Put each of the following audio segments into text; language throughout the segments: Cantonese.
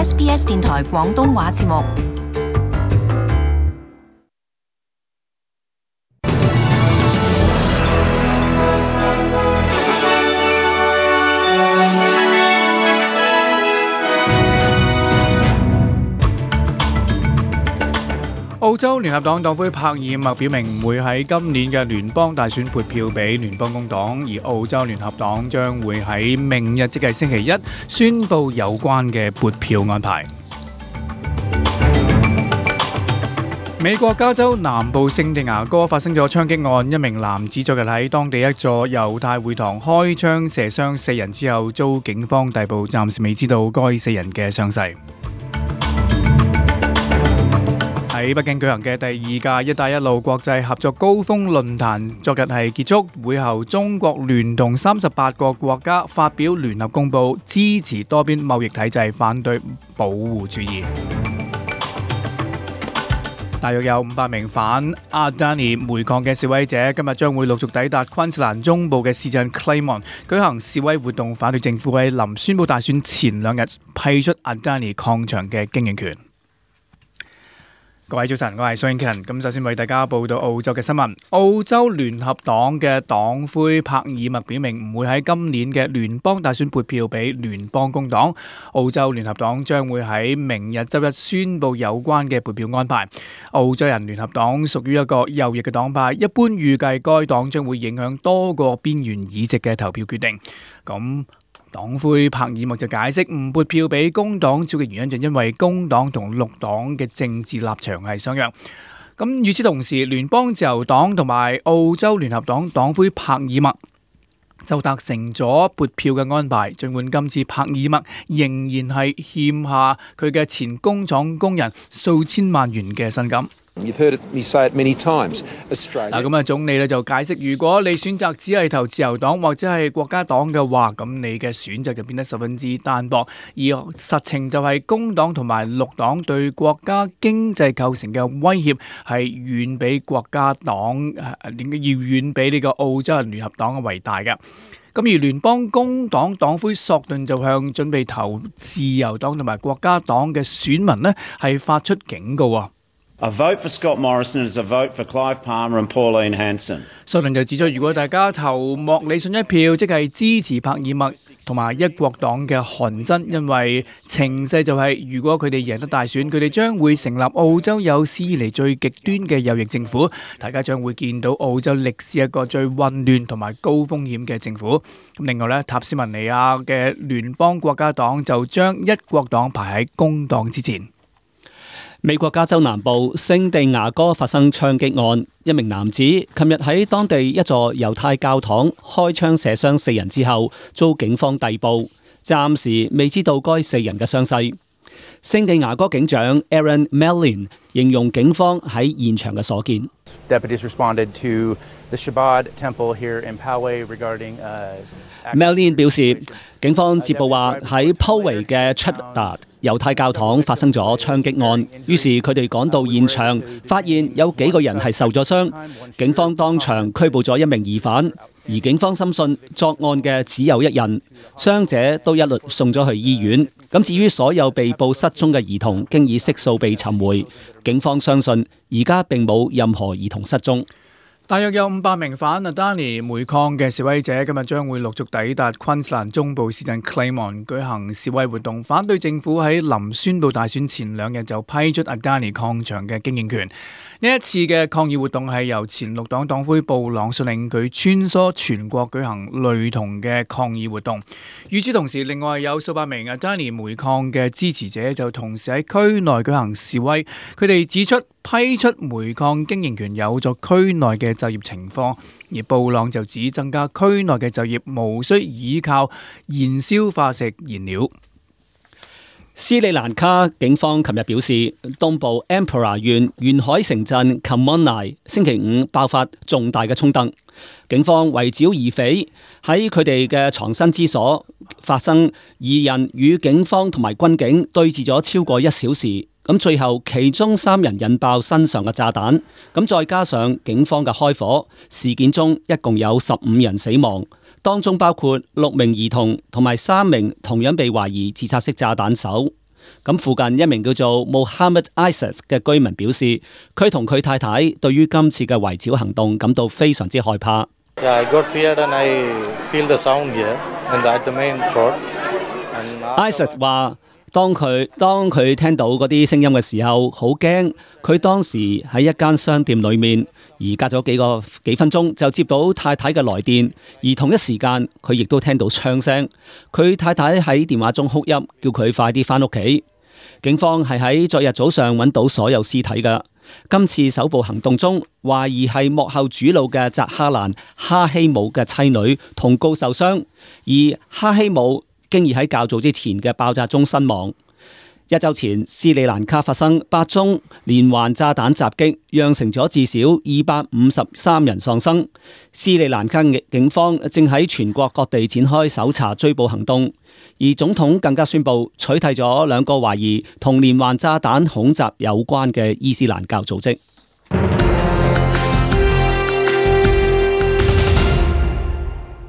SBS 電台廣東話節目。澳洲聯合黨黨魁柏爾默表明唔會喺今年嘅聯邦大選撥票俾聯邦工黨，而澳洲聯合黨將會喺明日即係星期一宣布有關嘅撥票安排。美國加州南部聖地牙哥發生咗槍擊案，一名男子昨日喺當地一座猶太會堂開槍射傷4人之後遭警方逮捕，暫時未知道該4人嘅傷勢。喺北京舉行嘅第2屆一帶一路國際合作高峰論壇昨日係結束，會後中國聯同38個國家發表聯合公報，支持多邊貿易體制，反對保護主義。大約有500名反阿丹尼煤礦嘅示威者今日將會陸續抵達昆士蘭中部嘅市鎮 Claymont 舉行示威活動，反對政府喺臨宣布大選前2日批出阿丹尼礦場嘅經營權。各位早晨，我係蘇英勤。咁首先為大家報道澳洲嘅新聞。澳洲聯合黨嘅黨魁柏爾默表明唔會喺今年嘅聯邦大選撥票俾聯邦工黨。澳洲聯合黨將會喺明日周一宣布有關嘅撥票安排。澳洲人聯合黨屬於一個右翼嘅黨派，一般預計該黨將會影響多個邊緣議席嘅投票決定。咁黨魁柏爾默就解釋唔撥票俾工黨主要嘅原因就因為工黨同綠黨嘅政治立場係相若。咁與此同時，聯邦自由黨同埋澳洲聯合黨黨魁柏爾默就達成咗撥票嘅安排，儘管今次柏爾默仍然係欠下佢嘅前工廠工人數千萬元嘅薪金。You've heard me say it many times. Australia. 咁啊，總理咧就解釋，如果你選擇只係投自由黨或者係國家黨嘅話，咁你嘅選擇就變得十分之單薄。而實情就係工黨同埋綠黨對國家經濟構成嘅威脅係遠比國家黨要遠比呢個澳洲人聯合黨為大嘅。咁而聯邦工黨黨魁索頓就向準備投自由黨同埋國家黨嘅選民呢係發出警告啊。A vote for Scott Morrison is a vote for Clive Palmer and Pauline Hanson。索頓就指出，如果大家投莫里遜一票，即係支持柏爾默同埋一國黨嘅韓真，因為情勢就係如果佢哋贏得大選，佢哋將會成立澳洲有史以嚟最極端嘅右翼政府，大家將會見到澳洲歷史一個最混亂同埋高風險嘅政府。咁另外呢，塔斯文尼亞嘅聯邦國家黨就將一國黨排喺工黨之前。美國加州南部聖地牙哥發生槍擊案，一名男子琴日喺當地一座猶太教堂開槍射傷4人之後，遭警方逮捕，暫時未知道該4人嘅傷勢。聖地牙哥警長 Aaron Mellin 形容警方喺現場嘅所見。Deputies responded to the Shabbat temple here in Poway regarding Mellin 表示，警方接報話喺 Poway 嘅 Chabad 猶太教堂發生咗槍擊案，於是佢哋趕到現場，發現有幾個人係受咗傷。警方當場拘捕咗1名疑犯，而警方深信作案嘅只有1人，傷者都一律送咗去醫院。咁至於所有被捕失蹤嘅兒童，經已悉數被尋回。警方相信而家並冇任何兒童失蹤。大約有500名反阿丹尼煤礦嘅示威者今日將會陸續抵達昆士蘭中部市鎮 Claymont 舉行示威活動，反對政府喺臨宣布大選前2日就批出阿丹尼礦場嘅經營權。呢一次嘅抗議活動係由前綠黨黨魁布朗率領，佢穿梭全國舉行類同嘅抗議活動。與此同時，另外有數百名阿丹尼煤礦嘅支持者就同時喺區內舉行示威，佢哋指出批出煤礦經營權有助區內嘅就業情況，而布朗就指增加區內嘅就業無需依靠燃燒化石燃料。斯里蘭卡警方琴日表示，東部 Ampara 縣沿海城鎮 Kamonai 星期5爆發重大嘅衝突，警方圍剿疑匪，喺佢哋嘅藏身之所發生2人與警方同埋軍警對峙咗超過1小時，咁最後其中3人引爆身上嘅炸彈，咁再加上警方嘅開火，事件中一共有15人死亡。當中包括6名兒童同埋3名同樣被懷疑自殺式炸彈手。咁附近一名叫做 Mohammed Isaac 嘅居民表示，佢同佢太太對於今次嘅圍剿行動感到非常之害怕。Yeah, I got feared and I feel the sound here and at the main road. Isaac 話：當佢聽到嗰啲聲音嘅時候，好驚。佢當時喺一間商店裏面，而隔咗幾分鐘就接到太太嘅來電，而同一時間佢亦都聽到槍聲。佢太太喺電話中哭泣，叫佢快啲返屋企。警方係喺昨日早上揾到所有屍體㗎。今次首部行動中，懷疑係幕後主腦嘅扎哈蘭哈希姆嘅妻女同告受傷，而哈希姆經已喺較早之前嘅爆炸中身亡。一週前，斯里蘭卡發生8宗連環炸彈襲擊，釀成咗至少253人喪生。斯里蘭卡警方正喺全國各地展開搜查追捕行動，而總統更加宣布取締咗2個懷疑同連環炸彈恐襲有關嘅伊斯蘭教組織。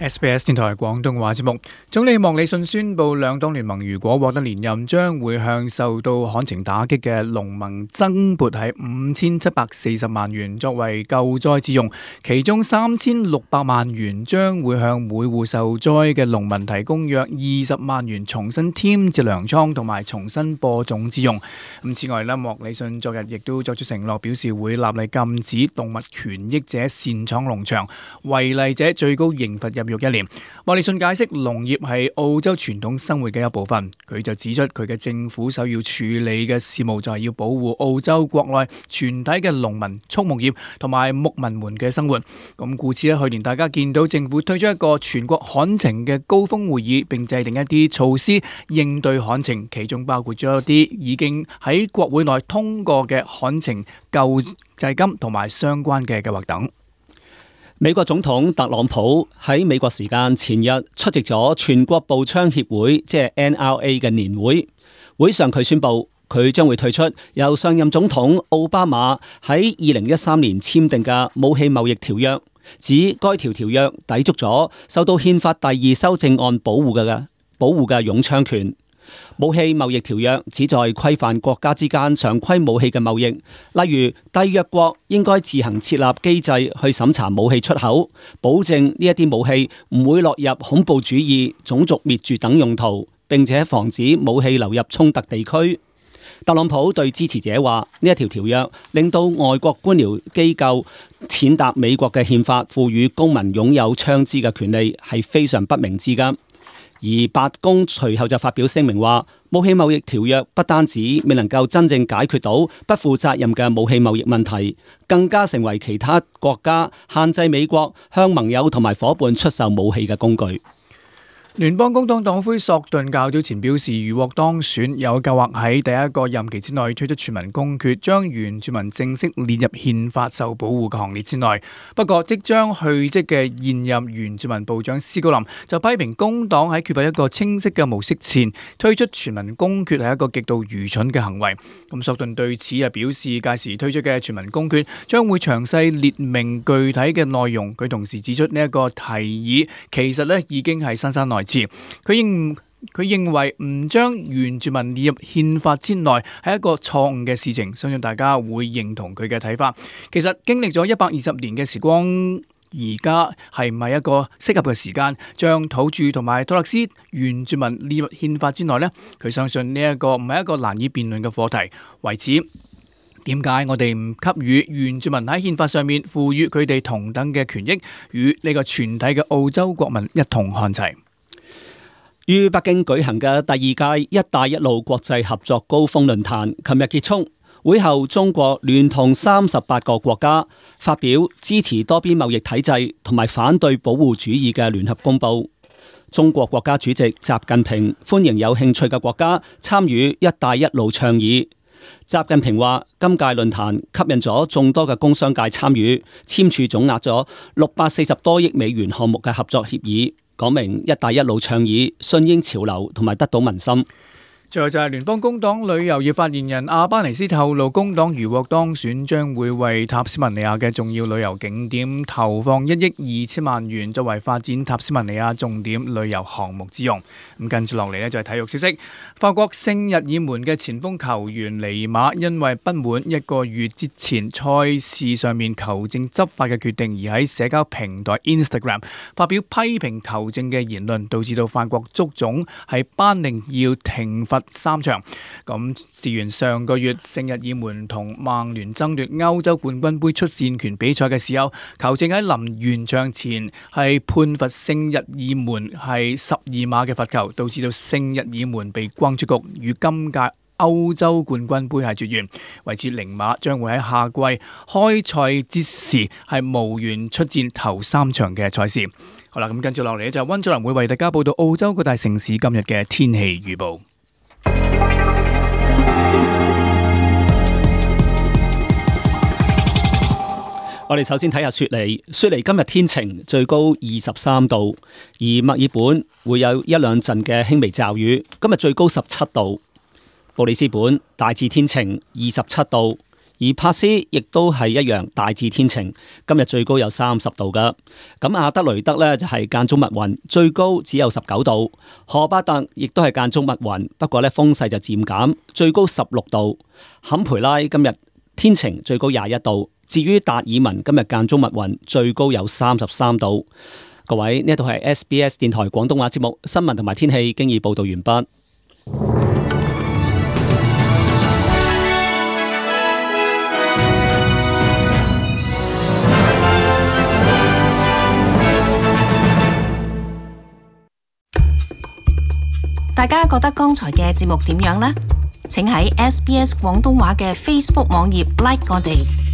SBS 電台廣東話節目，總理莫里遜宣布兩黨聯盟如果獲得連任，將會向受到旱情打擊嘅農民增撥係5740萬元作為救災之用，其中3600萬元將會向每戶受災嘅農民提供約20萬元重新添置糧倉同埋重新播種之用。此外，莫里遜昨日亦都作出承諾，表示會立例禁止動物權益者擅闖農場，違例者最高刑罰入獄1年。莫里遜解釋農業係澳洲傳統生活嘅一部分，佢就指出佢嘅政府首要處理嘅事務就係要保護澳洲國內全體嘅農民、畜牧業同埋牧民們嘅生活。故此去年大家見到政府推出一個全國旱情嘅高峰會議，並制定一啲措施應對旱情，其中包括咗一啲已經喺國會內通過嘅旱情救濟金同埋相關嘅計劃等。美國總統特朗普喺美國時間前日出席咗全國步槍協會即係 NRA 嘅年會，會上佢宣布佢將會退出由上任總統奧巴馬喺2013年簽訂嘅武器貿易條約，指該條約抵觸咗受到憲法第2修正案保護嘅擁槍權。武器貿易條約旨在規範國家之間常規武器嘅貿易，例如締約國應該自行設立機制去審查武器出口，保證呢一啲武器唔會落入恐怖主義、種族滅絕等用途，並且防止武器流入衝突地區。特朗普對支持者話：呢一條條約令到外國官僚機構踐踏美國嘅憲法賦予公民擁有槍支嘅權利，係非常不明智㗎。而白宮隨後就發表聲明話，武器貿易條約不單止未能夠真正解決到不負責任嘅武器貿易問題，更加成為其他國家限制美國向盟友同埋夥伴出售武器嘅工具。聯邦工黨黨魁索頓較早前表示，如獲當選，有計劃喺第一個任期之內推出全民公決，將原住民正式列入憲法受保護嘅行列之內。不過，即將去職嘅現任原住民部長斯高林就批評工黨喺缺乏一個清晰嘅模式前推出全民公決係一個極度愚蠢嘅行為。索頓對此表示，屆時推出嘅全民公決將會詳細列明具體嘅內容。佢同時指出呢一個提議其實已經係姍姍來遲。佢認為唔將原住民列入憲法之內係一個錯誤嘅事情，相信大家會認同佢嘅睇法。其實經歷咗120年嘅時光，而家係唔係一個適合嘅時間將土著同埋托勒斯原住民列入憲法之內呢？佢相信呢一個唔係一個難以辯論嘅課題。為此，點解我哋唔給予原住民喺憲法上面賦予佢哋同等嘅權益，與呢個全體嘅澳洲國民一同看齊？於北京舉行嘅第二屆一帶一路國際合作高峰論壇琴日結束，會後中國聯同38個國家發表支持多邊貿易體制同埋反對保護主義嘅聯合公報。中國國家主席習近平歡迎有興趣嘅國家參與一帶一路倡議。習近平話，今屆論壇吸引咗眾多嘅工商界參與，簽署總額咗640多億美元項目嘅合作協議，講明一帶一路倡議順應潮流同埋得到民心。最後就係聯邦工黨旅遊業發言人阿巴尼斯透露，工黨如獲當選，將會為塔斯曼尼亞嘅重要旅遊景點投放1億2千萬元，作為發展塔斯曼尼亞重點旅遊項目之用。咁跟住落嚟呢，就係體育消息，法國聖日耳門嘅前鋒球員尼馬因為不滿1個月之前賽事上面球證執法嘅決定，而喺社交平台 Instagram 發表批評球證嘅言論，導致到法國足總係頒令要停罰3場。咁事緣上個月聖日耳門同曼聯爭奪歐洲冠軍杯出線權比賽嘅時候，球證喺臨完場前係判罰聖日耳門係12碼嘅罰球，導致到聖日耳門被轟出局，與今屆歐洲冠軍杯係絕緣，維持0碼，將會喺夏季開賽之時係無緣出戰頭3場嘅賽事。好啦，咁跟住落嚟就溫祖林會為大家報道澳洲各大城市今日嘅天氣預報。我哋首先睇下雪梨。雪梨今日天晴，最高23度，而墨爾本會有1兩陣嘅輕微驟雨，今日最高17度。布里斯本大致天晴，27度，而珀斯亦都係一樣大致天晴，今日最高有30度噶。咁阿德雷德呢，就係間中密雲，最高只有19度。荷巴特亦都係間中密雲，不過呢風勢就漸減，最高16度。坎培拉今日天晴，最高21度。至於達爾文今日間中密雲，最高有33度。各位，呢度係 SBS 電台廣東話節目新聞同埋天氣經已報道完畢。大家覺得剛才嘅節目點樣呢？請喺 SBS 廣東話嘅 Facebook 網頁 like 我哋。